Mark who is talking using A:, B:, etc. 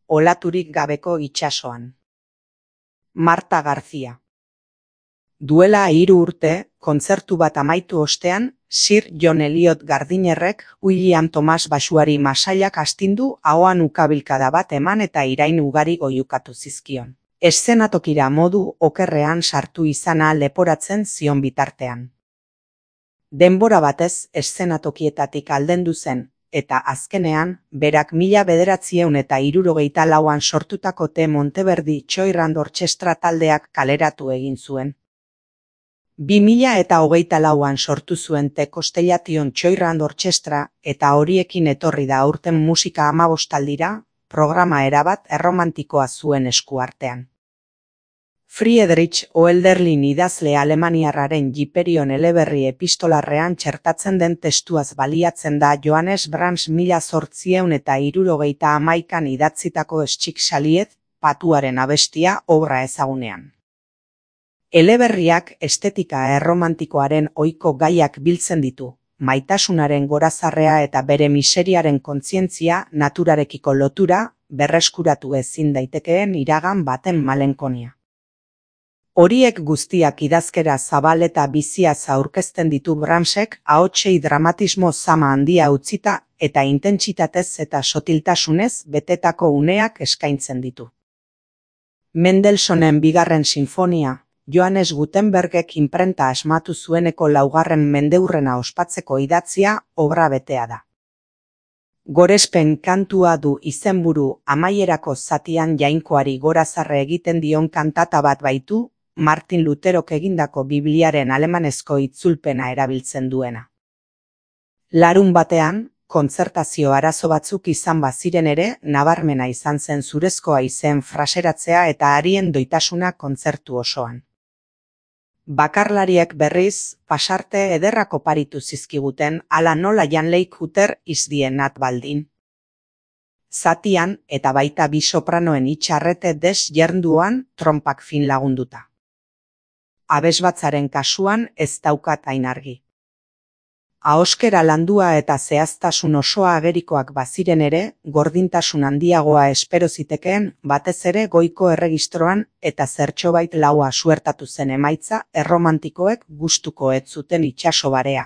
A: olaturik gabeko itsasoan. Marta García. Duela 3 urte, kontzertu bat amaitu ostean, Sir John Eliot Gardinerrek William Thomas basuari masailak astindu ahoan ukabilkada bat eman eta irain ugari goiukatu zizkion. Eszenatokira modu okerrean sartu izana leporatzen zion bitartean. Denbora batez eszenatokietatik aldendu zen, eta azkenean, berak 1964an sortutako The Monteverdi Choirand Orchestra taldeak kaleratu egin zuen. 2024an sortu zuen The Constellation Choirand Orchestra eta horiekin etorri da aurten musika 15 programa erabat erromantikoa zuen eskuartean. Friedrich Hölderlin idazle alemaniarraren Hyperion eleberri epistolarrean txertatzen den testuaz baliatzen da Johannes Brahms 1871an idatzitako Schicksaliet, patuaren abestia obra ezagunean. Eleberriak estetika erromantikoaren ohiko gaiak biltzen ditu, maitasunaren gorazarrea eta bere miseriaren kontzientzia, naturarekiko lotura, berreskuratu ezin daitekeen iragan baten malenkonia. Horiek guztiak idazkera zabal eta biziaz aurkezten ditu Brahmsek ahotsei dramatismo zama handia utzita eta intentsitatez eta sotiltasunez betetako uneak eskaintzen ditu. Mendelssohnen 2. sinfonia, Johannes Gutenbergek inprenta asmatu zueneko 4. mendeurrena ospatzeko idatzia obra betea da. Gorespen kantua du izenburu amaierako zatian jainkoari gorazarre egiten dion kantata bat baitu, Martin Lutherok egindako Bibliaren alemanezko itzulpena erabiltzen duena. Larunbatean, kontzertazio arazo batzuk izan baziren ere, nabarmena izan zen zurezkoa izen fraseratzea eta arien doitasuna kontzertu osoan. Bakarlariek berriz, pasarte ederrak oparitu zizkiguten hala nola Jan Leikhuter izdienat baldin. Zatian eta baita bi sopranoen itxarrete desjernduan trompak fin lagunduta. Abesbatzaren kasuan ez daukat hain argi. Ahoskera landua eta zehaztasun osoa agerikoak baziren ere, gordintasun handiagoa espero zitekeen, batez ere goiko erregistroan eta zertxobait laua suertatu zen emaitza erromantikoek gustuko ez zuten itsaso barea.